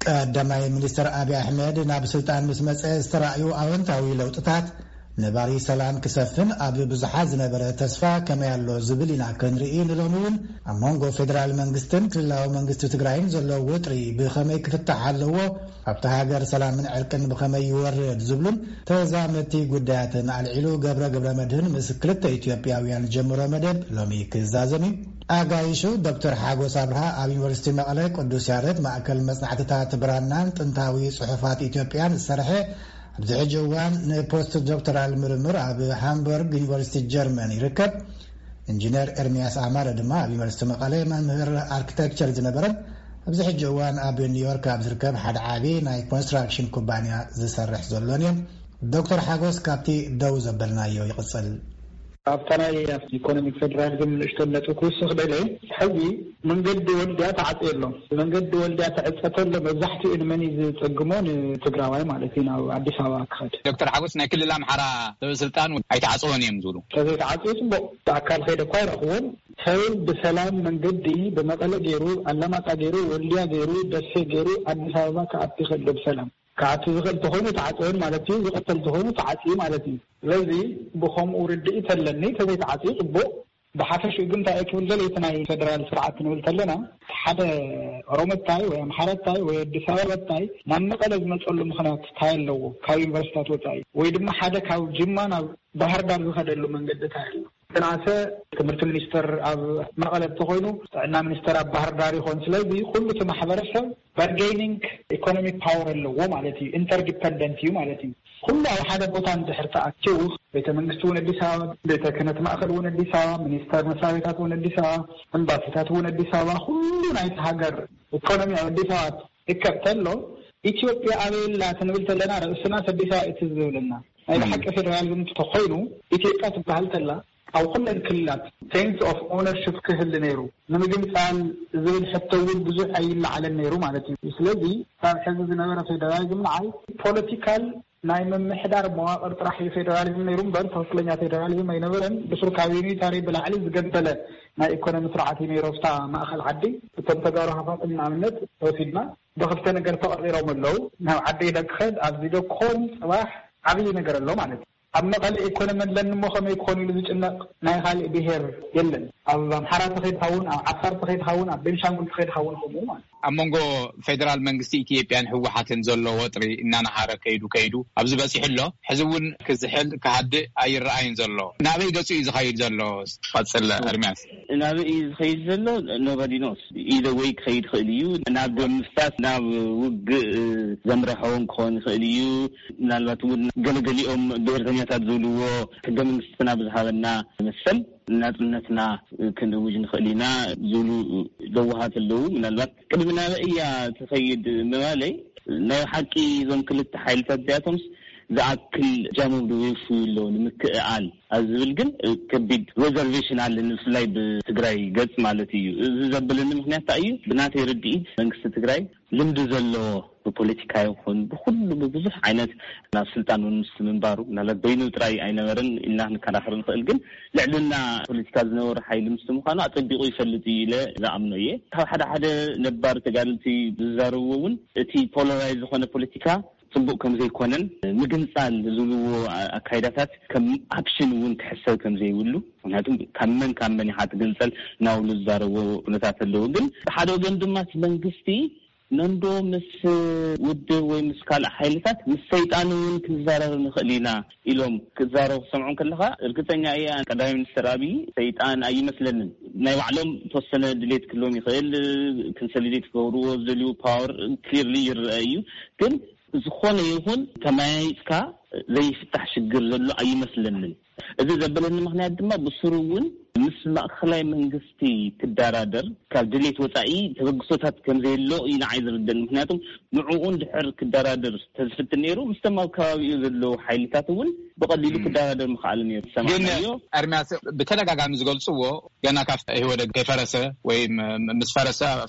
ቀዳማይ ሚኒስትር ኣብይ ኣሕመድ ናብ ስልጣን ምስ መጸ ዝተራእዩ ኣወንታዊ ለውጥታት፣ ነባሪ ሰላም ክሰፍን ኣብ ብዙሓት ዝነበረ ተስፋ ከመይ ኣሎ ዝብል ኢና ክንርኢ ንሎሚ እውን ኣብ መንጎ ፌደራል መንግስትን ክልላዊ መንግስቲ ትግራይን ዘሎ ወጥሪ ብኸመይ ክፍታሕ ኣለዎ፣ ኣብታ ሃገር ሰላምን ዕርቅን ብኸመይ ይወርድ ዝብሉን ተዛመድቲ ጉዳያትን ኣልዒሉ ገብረ ገብረ መድህን ምስ ክልተ ኢትዮጵያውያን ጀምሮ መደብ ሎሚ ክዛዘም እዩ። ኣጋይሹ ዶክተር ሓጎስ ኣብርሃ ኣብ ዩኒቨርሲቲ መቐለ ቅዱስ ያሬድ ማእከል መጽናዕትታት ብራናን ጥንታዊ ጽሑፋት ኢትዮጵያን ዝሰርሐ፣ ኣብዚ ሕጂ እዋን ንፖስት ዶክተራል ምርምር ኣብ ሃምበርግ ዩኒቨርሲቲ ጀርመን ይርከብ። ኢንጂነር ኤርሚያስ ኣማረ ድማ ኣብ ዩኒቨርሲቲ መቐለ መምህር ኣርክቴክቸር ዝነበረን ኣብዚ ሕጂ እዋን ኣብ ኒውዮርክ ኣብ ዝርከብ ሓደ ዓቢ ናይ ኮንስትራክሽን ኩባንያ ዝሰርሕ ዘሎን እዮም። ዶክተር ሓጎስ ካብቲ ደው ዘበልናዮ ይቕጽል። ኣብታ ናይ ኢኮኖሚክ ፌደራሊዝም ንእሽቶ ነጥቢ ክውስኽ ደለ፣ ሕዚ መንገዲ ወልድያ ተዓጽዩ ኣሎ። መንገዲ ወልድያ ተዕጸ ተሎ መብዛሕትኡ ንመን እዩ ዝጸግሞ? ንትግራዋይ ማለት እዩ፣ ናብ ኣዲስ ኣበባ ክኸድ። ዶክተር ሓጎስ ናይ ክልል ኣምሓራ ሰበ ስልጣን ኣይተዓጽወን እዮም ዝብሉ። ተዘይተዓጽዩ ጽቡቕ፣ ብኣካል ከይደ እኳ ኣይረኽቦን። ሰብ ብሰላም መንገዲ ብመቐለ ገይሩ፣ ኣላማጣ ገይሩ፣ ወልድያ ገይሩ፣ ደሴ ገይሩ ኣዲስ ኣበባ ክኣቱ ይኽእል ዶ ብሰላም? ክኣቱ ዝኽእል ተኾይኑ ተዓጽወን ማለት እዩ፣ ዝቕተል ተኾይኑ ተዓጽዩ ማለት እዩ። ስለዚ ብኸምኡ ርድኢት ኣለኒ፣ ተዘይተዓጽዩ ጽቡቕ። ብሓፈሽኡ ግን እንታይ ክብል ደለ፣ እቲ ናይ ፌደራል ስርዓት ክንብል ከለና፣ ሓደ ኦሮሞ እንታይ ወይ ኣምሓራ እንታይ ወይ ኣዲስ ኣበባ እንታይ ናብ መቐለ ዝመጸሉ ምኽንያት እንታይ ኣለዎ? ካብ ዩኒቨርሲታት ወጻኢ ወይ ድማ ሓደ ካብ ጅማ ናብ ባህር ዳር ዝኸደሉ መንገዲ እንታይ ኣሎ? ትናሰ ትምህርቲ ሚኒስተር ኣብ መቐለ እንተኾይኑ፣ ጥዕና ሚኒስተር ኣብ ባህር ዳር ይኾን። ስለዚ ኩሉ እቲ ማሕበረሰብ ባርጌኒንግ ኢኮኖሚክ ፓወር ኣለዎ ማለት እዩ፣ ኢንተርዲፐንደንት እዩ ማለት እዩ። ኩሉ ኣብ ሓደ ቦታ እንድሕር ተኣኪቡ፣ ቤተ መንግስቲ እውን ኣዲስ ኣበባ፣ ቤተ ክህነት ማእከል እውን ኣዲስ ኣበባ፣ ሚኒስተር መስሪያ ቤታት እውን ኣዲስ ኣበባ፣ ኤምባሲታት እውን ኣዲስ ኣበባ፣ ኩሉ ናይቲ ሃገር ኢኮኖሚ ኣብ ኣዲስ ኣበባ ይከብ ተሎ፣ ኢትዮጵያ ኣበይ ኣላ ክንብል ተለና፣ ርእስና ኣዲስ ኣበባ እዩ ትዝ ዝብለና። ናይ ብሓቂ ፌደራሊዝም እንተኾይኑ፣ ኢትዮጵያ ትበሃል ተላ ኣብ ኩለን ክልላት ሴንስ ኦፍ ኦነርሽፕ ክህሊ ነይሩ። ንምግንጻል ዝብል ሕቶ እውን ብዙሕ ኣይለዓለን ነይሩ ማለት እዩ። ስለዚ ካብ ሕዚ ዝነበረ ፌደራሊዝም ንዓይ ፖለቲካል ናይ ምምሕዳር መዋቕር ጥራሕ እዩ ፌደራሊዝም ነይሩ እምበር ትኽክለኛ ፌደራሊዝም ኣይነበረን። ብሱር ካብ ዩኒታሪ ብላዕሊ ዝገበለ ናይ ኢኮኖሚ ስርዓት እዩ ነይሩ ኣብታ ማእኸል ዓዲ። እቶም ተጋሩ ሃፋትም ንኣብነት ወሲድና ብኽልተ ነገር ተቐጺሮም ኣለዉ። ናብ ዓዲ ኢለ ክኸድ ኣብዚ ዶ ክኾን ጽባሕ ዓብዪ ነገር ኣሎ ማለት እዩ። ኣብ መቐለ ኢኮኖሚ ኣለኒ እሞ ከመይ ክኾን ኢሉ ዝጭነቕ ናይ ካልእ ብሄር የለን። ኣብ ኣምሓራ ተኸይድካ እውን፣ ኣብ ዓፋር ተኸይድካ እውን፣ ኣብ ቤንሻንጉል ተኸይድካ እውን ከምኡ ማለት እዩ። ኣብ መንጎ ፌደራል መንግስቲ ኢትዮጵያን ህወሓትን ዘሎ ወጥሪ እናነሃረ ከይዱ ከይዱ ኣብዚ በፂሑ ኣሎ። ሕዚ እውን ክዝሕል ክሃድእ ኣይረኣይን ዘሎ። ናበይ ገፁ እዩ ዝኸይድ ዘሎ? ቀፅል ኤርሚያስ። ናበይ እዩ ዝኸይድ ዘሎ? ኖባዲ ኖስ። ኢዘ ወይ ክኸይድ ይኽእል እዩ። ናብ ደም ምፍሳስ፣ ናብ ውግእ ዘምርሐውን ክኸውን ይኽእል እዩ። ምናልባት እውን ገለገሊኦም ብሄርተኛታት ዝብልዎ ሕገ መንግስትና ብዝሃበና መሰል ናጽነትና ክንእውጅ ንኽእል ኢና ዝብሉ ለዋሃት ኣለዉ። ምናልባት ቅድሚ ናበይ እያ ትኸይድ ምባለይ፣ ናይ ሓቂ እዞም ክልተ ሓይልታት እዚኣቶምስ ዝኣክል እጃሞም ዶ የውፍዩ ኣለዉ ንምክእኣል ኣብ ዝብል ግን ከቢድ ሬዘርቬሽን ኣለኒ፣ ብፍላይ ብትግራይ ገጽ ማለት እዩ። እዚ ዘብለኒ ምኽንያት እንታይ እዩ? ብናተይ ርድኢት መንግስቲ ትግራይ ልምዲ ዘለዎ ብፖለቲካ ይኹን ብኩሉ ብብዙሕ ዓይነት ናብ ስልጣን እውን ምስ ምንባሩ፣ ምናልባት በይኑ ጥራይ ኣይነበረን ኢልና ክንከራኸር ንኽእል፣ ግን ልዕልና ፖለቲካ ዝነበሩ ሓይሊ ምስ ምዃኑ ኣጸቢቑ ይፈልጥ እዩ ኢለ ዝኣምኖ እየ። ካብ ሓደ ሓደ ነባር ተጋደልቲ ዝዛረብዎ እውን እቲ ፖላራይዝ ዝኾነ ፖለቲካ ጽቡቕ ከም ዘይኮነን ምግንጻል ዝብልዎ ኣካይዳታት ከም ኣፕሽን እውን ክሕሰብ ከም ዘይብሉ፣ ምክንያቱም ካብ መን ካብ መን ኢኻ ትግንጸል እናብሉ ዝዛረብዎ ኩነታት ኣለዉ። ግን ብሓደ ወገን ድማ እቲ መንግስቲ ነንዶ ምስ ውድብ ወይ ምስ ካልእ ሓይልታት ምስ ሰይጣን እውን ክንዛረብ ንኽእል ኢና ኢሎም ክዛረቡ ክሰምዖም ከለኻ፣ እርግጸኛ እየ ቀዳማይ ሚኒስትር ኣብይ ሰይጣን ኣይመስለንን። ናይ ባዕሎም ተወሰነ ድሌት ክህልዎም ይኽእል፣ ኮንሶሊዴት ክገብርዎ ዝደልዩ ፓወር ክሊርሊ ይረአ እዩ። ግን ዝኾነ ይኹን ተመያይጥካ ዘይፍታሕ ሽግር ዘሎ ኣይመስለንን። እዚ ዘበለኒ ምኽንያት ድማ ብስሩ እውን ምስ ማእኸላይ መንግስቲ ክደራደር ካብ ድሌት ወፃኢ ተበግሶታት ከም ዘየሎ እዩ ንዓይ ዝርደን። ምክንያቱም ንዕኡ እንድሕር ክደራደር ተዝፍትን ነይሩ፣ ምስቶም ኣብ ከባቢኡ ዘለዉ ሓይልታት እውን ብቐሊሉ ክደራደር ምኽኣሉ ነይሩ። ግን ዝሰማዕናዮ ኤርሚያስ ብተደጋጋሚ ዝገልፅዎ፣ ገና ካብ ኢህወደግ ከይፈረሰ ወይ ም-፣ ምስ ፈረሰ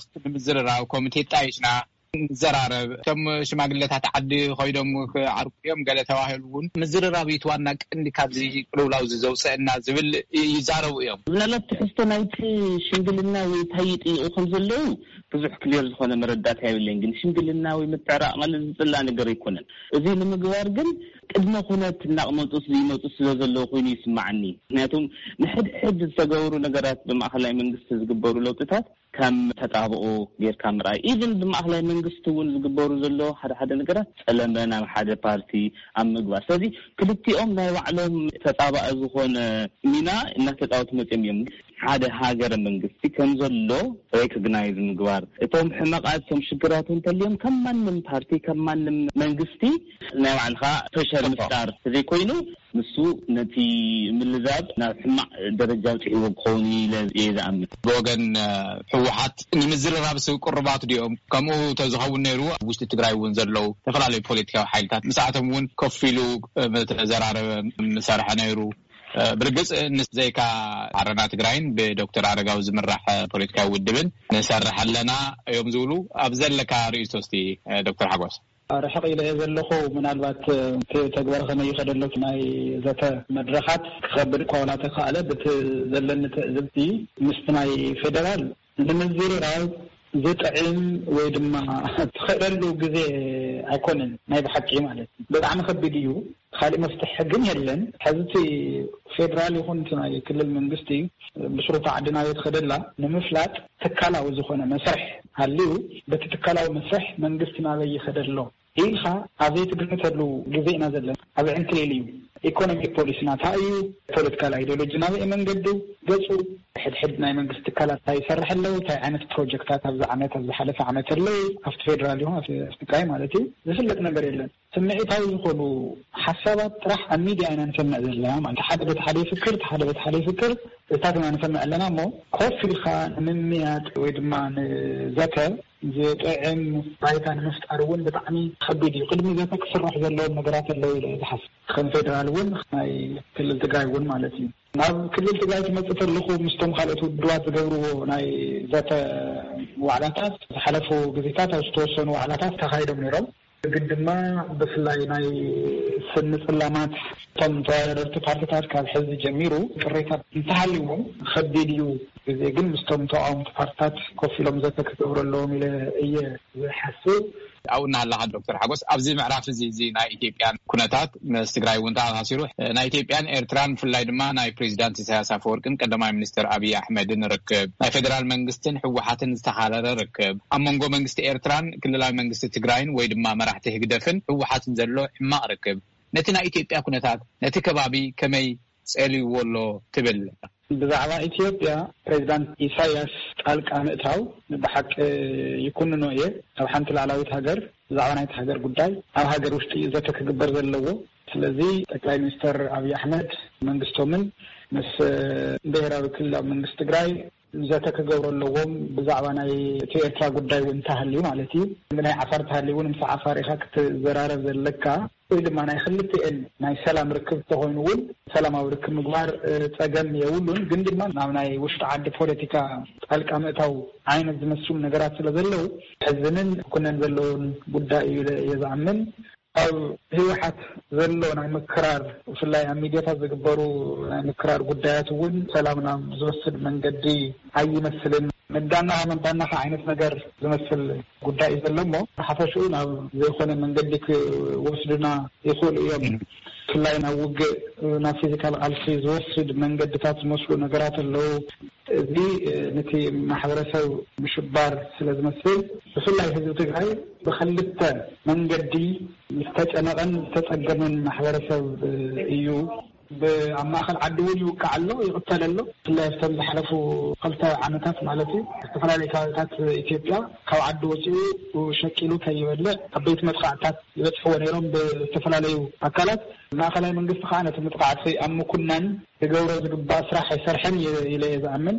ንምዝርራብ ኮሚቴ ጣይሽና ንዘራረብ፣ እቶም ሽማግለታት ዓዲ ኮይዶም ክዓርቁ እዮም፣ ገለ ተባሂሉ እውን ምዝርራብ እዩ እቲ ዋና ቀንዲ ካብዚ ቅልውላው እዚ ዘውፅአና ዝብል ይዛረቡ እዮም። ምናልባት ትሕዝቶ ናይቲ ሽምግልና ወይ እንታይ ይጥይቁ ከም ዘለዉ ብዙሕ ክሊር ዝኾነ መረዳእታ የብለይን። ግን ሽምግልና ወይ ምትዕራቕ ማለት ዝፅላእ ነገር ኣይኮነን። እዚ ንምግባር ግን ቅድመ ኩነት እናቕመጡ ይመፁ ስለ ዘለዉ ኮይኑ ይስማዓኒ። ምክንያቱም ንሕድሕድ ዝተገብሩ ነገራት ብማእኸላይ መንግስቲ ዝግበሩ ለውጥታት ከም ተጣብኦ ጌርካ ምርኣይ፣ ኢቭን ብማእኸላይ መንግስቲ እውን ዝግበሩ ዘሎ ሓደ ሓደ ነገራት ጸለመ ናብ ሓደ ፓርቲ ኣብ ምግባር። ስለዚ ክልቲኦም ናይ ባዕሎም ተጻባኢ ዝኾነ ሚና እናተጻወቱ መጺኦም እዮም። ሓደ ሃገረ መንግስቲ ከም ዘሎ ሬኮግናይዝ ምግባር፣ እቶም ሕመቃት፣ እቶም ሽግራት እንተልዮም ከም ማንም ፓርቲ፣ ከም ማንም መንግስቲ ናይ ባዕልኻ ፕሬሸር ምፍጣር ዘይኮይኑ፣ ንሱ ነቲ ምልዛብ ናብ ሕማቕ ደረጃ ኣብፂሕዎ ክኸውን ኢለ እየ ዝኣምን። ብወገን ህወሓት ንምዝርራብስ ቅሩባት ድዮም? ከምኡ ተዝኸውን ነይሩ፣ ኣብ ውሽጢ ትግራይ እውን ዘለዉ ዝተፈላለዩ ፖለቲካዊ ሓይልታት ምስኣቶም እውን ኮፍ ኢሉ ምተዘራረበ፣ ምሰርሐ ነይሩ። ብርግፅ ንዘይካ ዓረና ትግራይን ብዶክተር ኣረጋዊ ዝምራሕ ፖለቲካዊ ውድብን ንሰርሕ ኣለና እዮም ዝብሉ። ኣብ ዘለካ ርእይቶ እስቲ ዶክተር ሓጎስ። ርሕቕ ኢለ እየ ዘለኹ። ምናልባት እቲ ተግባር ከመይ ይኸደሎ ናይ ዘተ መድረኻት ክኸብድ እኳ ዋላ ተኻእለ፣ ብቲ ዘለኒ ትዕዝብቲ ምስቲ ናይ ፌደራል ንምዝርራብ ዝጥዕም ወይ ድማ ትኽእለሉ ግዜ ኣይኮነን። ናይ ብሓቂ ማለት እዩ። ብጣዕሚ ከቢድ እዩ። ካሊእ መፍትሒ ግን የለን። ሕዚ እቲ ፌደራል ይኹን እቲ ናይ ክልል መንግስቲ ብስሩታ ዓዲ ናበይ ትኸደላ ንምፍላጥ ትካላዊ ዝኾነ መስርሕ ሃልዩ፣ በቲ ትካላዊ መስርሕ መንግስቲ ናበይ ይኸደ ኣሎ ኢልካ ኣብ ዘይትግምተሉ ግዜ ኢና ዘለና። ኣብ ዕንክሊል እዩ። ኢኮኖሚ ፖሊሲ ናታ እዩ። ፖለቲካል ኣይዲዮሎጂ ናበይ መንገዱ ገጹ፣ ሕድሕድ ናይ መንግስቲ ትካላት እንታይ ይሰርሕ ኣለዉ፣ እንታይ ዓይነት ፕሮጀክታት ኣብዚ ዓመት፣ ኣብ ዝሓለፈ ዓመት ኣለዉ፣ ኣብቲ ፌደራል ይኹን ኣብቲ፣ ኣብቲ ትግራይ ማለት እዩ፣ ዝፍለጥ ነገር የለን። ስምዒታዊ ዝኾኑ ሓሳባት ጥራሕ ኣብ ሚድያ ኢና ንሰምዕ ዘለና። ማለት ሓደ በቲ ሓደ ይፍክር፣ እቲ ሓደ በቲ ሓደ ይፍክር፣ እዚታት ኢና ንሰምዕ ኣለና። እሞ ኮፍ ኢልካ ንምምያጥ ወይ ድማ ንዘተ ዝጥዕም ባይታ ንምፍጣር እውን ብጣዕሚ ከቢድ እዩ። ቅድሚ ዘተ ክስራሕ ዘለዎም ነገራት ኣለዉ ኢለ እየ ዝሓስብ። ከም ፌደራል እውን ናይ ክልል ትግራይ እውን ማለት እዩ። ናብ ክልል ትግራይ ክመፅእ ከለኹ ምስቶም ካልኦት ውድባት ዝገብርዎ ናይ ዘተ ዋዕላታት ዝሓለፉ ግዜታት ኣብ ዝተወሰኑ ዋዕላታት ተኻይዶም ነይሮም። ግን ድማ ብፍላይ ናይ ስኒ ፅላማት እቶም ተወዳደርቲ ፓርቲታት ካብ ሕዚ ጀሚሩ ቅሬታ እንተሃልዎም ከቢድ እዩ። ግዜ ግን ምስቶም ተቃወምቲ ፓርቲታት ኮፍ ኢሎም ዘተ ክገብሩ ኣለዎም ኢለ እየ ዝሓስብ። ኣብኡ እናሃለኻ ዶክተር ሓጎስ፣ ኣብዚ ምዕራፍ እዚ፣ እዚ ናይ ኢትዮጵያን ኩነታት ምስ ትግራይ እውን ተኣሳሲሩ፣ ናይ ኢትዮጵያን ኤርትራን ብፍላይ ድማ ናይ ፕሬዚዳንት ኢሳያስ ኣፈወርቅን ቀዳማይ ሚኒስትር ኣብይ ኣሕመድን ርክብ፣ ናይ ፌዴራል መንግስትን ህወሓትን ዝተኻረረ ርክብ፣ ኣብ መንጎ መንግስቲ ኤርትራን ክልላዊ መንግስቲ ትግራይን ወይ ድማ መራሕቲ ህግደፍን ህወሓትን ዘሎ ሕማቕ ርክብ ነቲ ናይ ኢትዮጵያ ኩነታት፣ ነቲ ከባቢ ከመይ ጸልይዎ ኣሎ ትብል? ብዛዕባ ኢትዮጵያ ፕሬዚዳንት ኢሳያስ ጣልቃ ምእታው ብሓቂ ይኩንኖ እየ። ኣብ ሓንቲ ላዕላዊት ሃገር ብዛዕባ ናይቲ ሃገር ጉዳይ ኣብ ሃገር ውሽጢ እዩ ዘተ ክግበር ዘለዎ። ስለዚ ጠቅላይ ሚኒስትር ኣብይ ኣሕመድ መንግስቶምን ምስ ብሄራዊ ክልላዊ መንግስቲ ትግራይ ዘተ ክገብሩ ኣለዎም። ብዛዕባ ናይ እቲ ኤርትራ ጉዳይ እውን እንተሃልዩ ማለት እዩ። ብናይ ዓፋር እንተሃልዩ እውን ምስ ዓፋር ኢኻ ክትዘራረብ ዘለካ። ወይ ድማ ናይ ክልቲኤን ናይ ሰላም ርክብ ተኾይኑ እውን ሰላማዊ ርክብ ምግባር፣ እ፣ ጸገም የብሉን። ግን ድማ ናብ ናይ ውሽጢ ዓዲ ፖለቲካ ጣልቃ ምእታው ዓይነት ዝመስሉ ነገራት ስለ ዘለዉ ሕዝንን ክኩነን ዘለዎን ጉዳይ እዩ ኢለ እየ ዝኣምን። ኣብ ህወሓት ዘሎ ናይ ምክራር፣ ብፍላይ ኣብ ሚድያታት ዝግበሩ ናይ ምክራር ጉዳያት እውን ሰላም ናብ ዝወስድ መንገዲ ኣይመስልን። መዳናኻ መዳናኻ ዓይነት ነገር ዝመስል ጉዳይ እዩ ዘሎ እሞ፣ ሓፈሽኡ ናብ ዘይኮነ መንገዲ ክወስዱና ይኽእሉ እዮም። ብፍላይ ናብ ውግእ፣ ናብ ፊዚካል ቃልሲ ዝወስድ መንገድታት ዝመስሉ ነገራት ኣለዉ። እዚ፣ እ፣ ነቲ ማሕበረሰብ ምሽባር ስለ ዝመስል፣ ብፍላይ ህዝቢ ትግራይ ብኽልተ መንገዲ ዝተጨነቐን ዝተጸገመን ማሕበረሰብ፣ እ፣ እዩ። ብ-፣ ኣብ ማእኸል ዓዲ እውን ይውቃዕ ኣሎ፣ ይቕተል ኣሎ። ብፍላይ ኣብቶም ዝሓለፉ ክልተ ዓመታት ማለት እዩ፣ ዝተፈላለዩ ከባቢታት ኢትዮጵያ ካብ ዓዲ ወፂኡ ሸቂሉ ከይበልዕ ዓበይቲ መጥቃዕትታት ይበፅሕዎ ነይሮም ብዝተፈላለዩ ኣካላት። ማእኸላይ መንግስቲ ከዓ ነቲ መጥቃዕቲ ኣብ ምኩናን ክገብሮ ዝግባእ ስራሕ ኣይሰርሐን እየ ኢለ እየ ዝኣምን።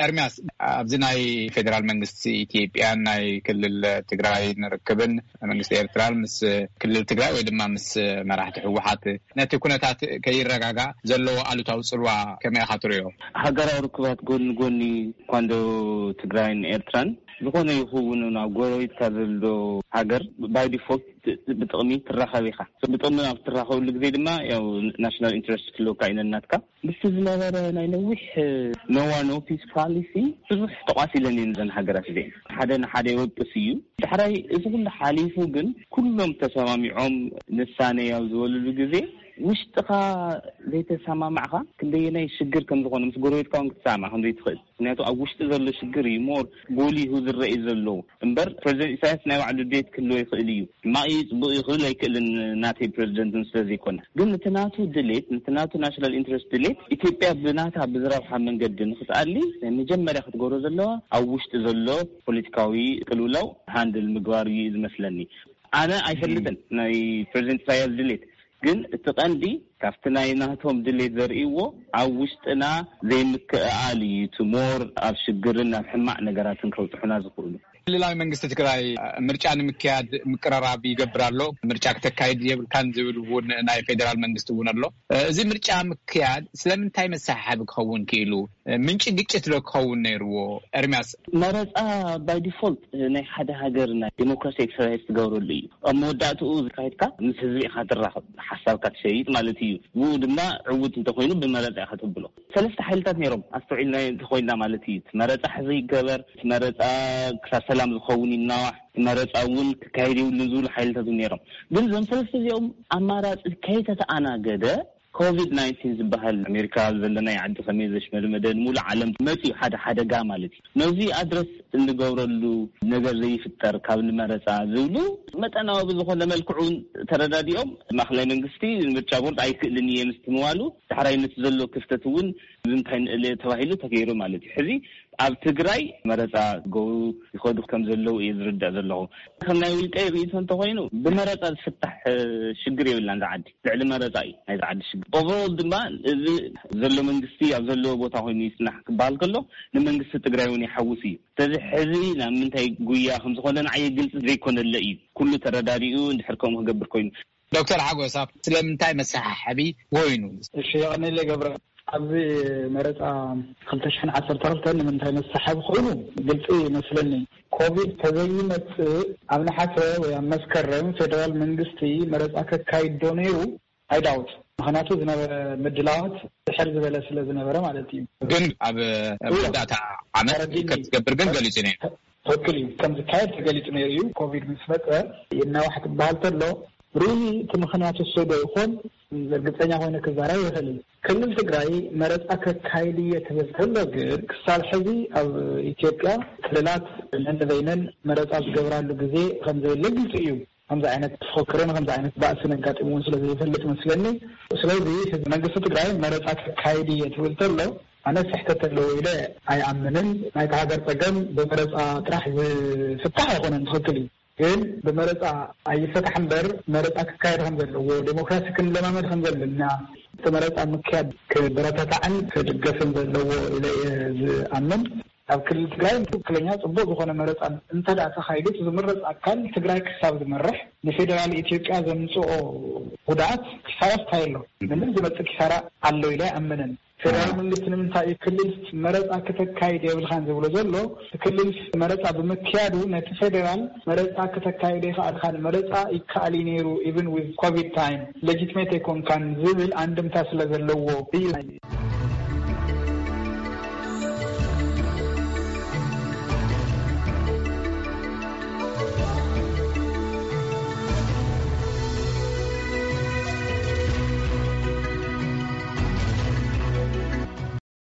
ኤርሚያስ፣ ኣብዚ ናይ ፌደራል መንግስቲ ኢትዮጵያን ናይ ክልል ትግራይ ንርክብን መንግስቲ ኤርትራን ምስ ክልል ትግራይ ወይ ድማ ምስ መራሕቲ ህወሓት ነቲ ኩነታት ከይረጋጋእ ዘለዎ ኣሉታዊ ጽልዋ ከመይ ኢኻ ትርእዮ? ሃገራዊ ርክባት ጎኒ ጎኒ እኳ እንዶ ትግራይን ኤርትራን ዝኾነ ይኸውን፣ ኣብ ጎረቤትካ ዘሎ ሃገር ባይ ዲፎልት ብጥቕሚ ትራኸብ ኢኻ። ብጥቕሚ ኣብ ትራኸብሉ ግዜ ድማ ያው ናሽናል ኢንትረስት ክህልወካ እዩ ነናትካ። ምስቲ ዝነበረ ናይ ነዊሕ ነዋ ኖ ፒስ ፖሊሲ ብዙሕ ተቋሲለን እየን እዘን ሃገራት እዚአን። ሓደ ንሓደ ይወቅስ እዩ። ዳሕራይ እዚ ኩሉ ሓሊፉ ግን ኩሎም ተሰማሚዖም ንሳነ ያው ዝበልሉ ግዜ ውሽጥኻ ዘይተሰማማዕካ ክንደየናይ ሽግር ከም ዝኾነ ምስ ጎረቤትካ እውን ክትሰማማዕ ከም ዘይትኽእል። ምክንያቱ ኣብ ውሽጢ ዘሎ ሽግር እዩ ሞር ጎሊሁ ዝረኢ ዘሎ። እምበር ፕሬዚደንት ኢሳያስ ናይ ባዕሉ ድሌት ክህልዎ ይኽእል እዩ። ሕማቕ እዩ፣ ጽቡቕ እዩ ክብል ኣይክእልን፣ ናተይ ፕሬዚደንት ስለ ዘይኮነ። ግን ነቲ ናቱ ድሌት፣ ነቲ ናቱ ናሽናል ኢንትረስት ድሌት ኢትዮጵያ ብናታ ብዝረብሓ መንገዲ ንክትኣሊ ናይ መጀመርያ ክትገብሮ ዘለዋ ኣብ ውሽጢ ዘሎ ፖለቲካዊ ቅልውላው ሃንድል ምግባር እዩ ዝመስለኒ። ኣነ ኣይፈልጥን ናይ ፕሬዚደንት ኢሳያስ ድሌት፣ ግን እቲ ቀንዲ ካብቲ ናይ ናቶም ድሌት ዘርእይዎ ኣብ ውሽጥና ዘይምክእኣል እዩ። እቲ ሞር ኣብ ሽግርን ኣብ ሕማቕ ነገራትን ከብፅሑና ዝኽእሉ። ክልላዊ መንግስቲ ትግራይ ምርጫ ንምክያድ ምቅረራብ ይገብር ኣሎ። ምርጫ ክተካይድ የብልካን ዝብል እውን ናይ ፌዴራል መንግስቲ እውን ኣሎ። እዚ ምርጫ ምክያድ ስለምንታይ መሰሓሓቢ ክኸውን ክኢሉ? ምንጪ ግጭት ዶ ክኸውን ነይርዎ? ኤርሚያስ። መረፃ ባይ ዲፎልት ናይ ሓደ ሃገር ናይ ዲሞክራሲ ኤክሰርሳይዝ ትገብረሉ እዩ። ኣብ መወዳእትኡ ዝካየድካ ምስ ህዝቢ ኢኻ ትራኸብ፣ ሓሳብካ ትሸይጥ ማለት እዩ። ብኡ ድማ ዕውት እንተኮይኑ ብመረፃ ኢኻ ትብሎ። ሰለስተ ሓይልታት ነይሮም ኣስተውዒልና እንተኮይንና ማለት እዩ። እቲ መረፃ ሕዚ ይገበር፣ እቲ መረፃ ክሳብ ሰላም ዝኸውን ይናዋሕ፣ እቲ መረፃ እውን ክካየድ የብሉን ዝብሉ ሓይልታት እውን ነይሮም። ግን እዞም ሰለስተ እዚኦም ኣማራፂ ከይተተኣናገደ ኮቪድ ናይንቲን ዝበሃል ኣሜሪካ ዘለናይ ዓዲ ከመይ ዘሽመድመደ ንሙሉእ ዓለም መፅዩ ሓደ ሓደጋ ማለት እዩ። ነዚ ኣድረስ እንገብረሉ ነገር ዘይፍጠር ካብ ንመረፃ ዝብሉ መጠናዊ ብዝኾነ መልክዑ ተረዳዲኦም ማእኸላይ መንግስቲ ምርጫ ቦርድ ኣይክእልን እየ ምስትምባሉ ዳሕራይ ነቲ ዘሎ ክፍተት እውን ንምንታይ ንእል ተባሂሉ ተገይሩ ማለት እዩ። ሕዚ ኣብ ትግራይ መረፃ ገው ይኸዱ ከም ዘለዉ እየ ዝርዳእ ዘለኹ። ከም ናይ ውልቀይ ርእይቶ እንተኮይኑ ብመረፃ ዝፍታሕ ሽግር የብላን። ዝዓዲ ልዕሊ መረፃ እዩ ናይ ዝዓዲ ሽግር። ኦቨሮል ድማ እዚ ዘሎ መንግስቲ ኣብ ዘለዎ ቦታ ኮይኑ ይስናሕ ክበሃል ከሎ ንመንግስቲ ትግራይ እውን ይሓውስ እዩ። ስለዚ ሕዚ ናብ ምንታይ ጉያ ከም ዝኾነ ንዓየ ግልፂ ዘይኮነለ እዩ። ኩሉ ተረዳዲኡ እንድሕር ከምኡ ክገብር ኮይኑ። ዶክተር ሓጎስ፣ ስለምንታይ መሰሓሓቢ ኮይኑ? እሺ፣ የቐኔለ ገብረ። ኣብዚ መረፃ ክልተ ሽሕን ዓሰርተ ክልተን ንምንታይ መሰሓቢ ኮይኑ ግልፂ ይመስለኒ። ኮቪድ ተዘይመፅእ ኣብ ነሓሰ ወይ ኣብ መስከረም ፌደራል መንግስቲ መረፃ ከካይድ ዶ ነይሩ? ኣይዳውት። ምክንያቱ ዝነበረ ምድላዋት ድሕር ዝበለ ስለ ዝነበረ ማለት እዩ። ግን ኣብ መወዳእታ ዓመት ከትገብር ግን ገሊፁ ነይሩ። ትክክል እዩ። ከም ዝካየድ ተገሊፁ ነይሩ እዩ። ኮቪድ ምስ መፀ ይናዋሕ ክበሃል ተሎ ሪሊ እቲ ምክንያት እሱ ዶ ይኾን እርግፀኛ ኮይነ ክዛረብ ይኽእል። ክልል ትግራይ መረፃ ከካይድ እየ ትብል ከሎ ግን ክሳብ ሕዚ ኣብ ኢትዮጵያ ክልላት ነንበይነን መረፃ ዝገብራሉ ግዜ ከም ዘየለ ግልፂ እዩ። ከምዚ ዓይነት ፍክክርን ከምዚ ዓይነት ባእስን ኣጋጢምዎ ስለ ዘይፈልጥ መስለኒ። ስለዚ መንግስቲ ትግራይ መረፃ ከካይድ እየ ትብል ተሎ ኣነ ስሕተት ኣለዎ ኢለ ኣይኣምንን። ናይቲ ሃገር ፀገም ብመረፃ ጥራሕ ዝፍታሕ ኣይኮነን። ትክክል እዩ። ግን ብመረፃ ኣይፈታሕ እምበር መረፃ ክካየድ ከም ዘለዎ ዴሞክራሲ ክንለማመድ ከም ዘለና እቲ መረፃ ምክያድ ክበረታታዕን ክድገፍን ዘለዎ ኢለ እየ ዝኣምን። ኣብ ክልል ትግራይ ትክክለኛ ፅቡቅ ዝኾነ መረፃ እንተዳ ተካይዱ ዝምረፅ ኣካል ትግራይ ክሳብ ዝመርሕ ንፌደራል ኢትዮጵያ ዘምፅኦ ጉድኣት ክሳራ ስታይ ኣሎ። ምንም ዝመፅእ ኪሳራ ኣሎ ኢለ ኣይኣምንን። ፌደራል መንግስቲ ንምንታይ እዩ ክልል መረፃ ክተካይድ የብልካን ዝብሎ ዘሎ? ክልል መረፃ ብምክያዱ ነቲ ፌደራል መረፃ ክተካይዶ ይክኣልካን መረፃ ይከኣል እዩ ነይሩ even with ኮቪድ ታይም ሌጂትሜት ኣይኮንካን ዝብል ኣንድምታ ስለ ዘለዎ እዩ።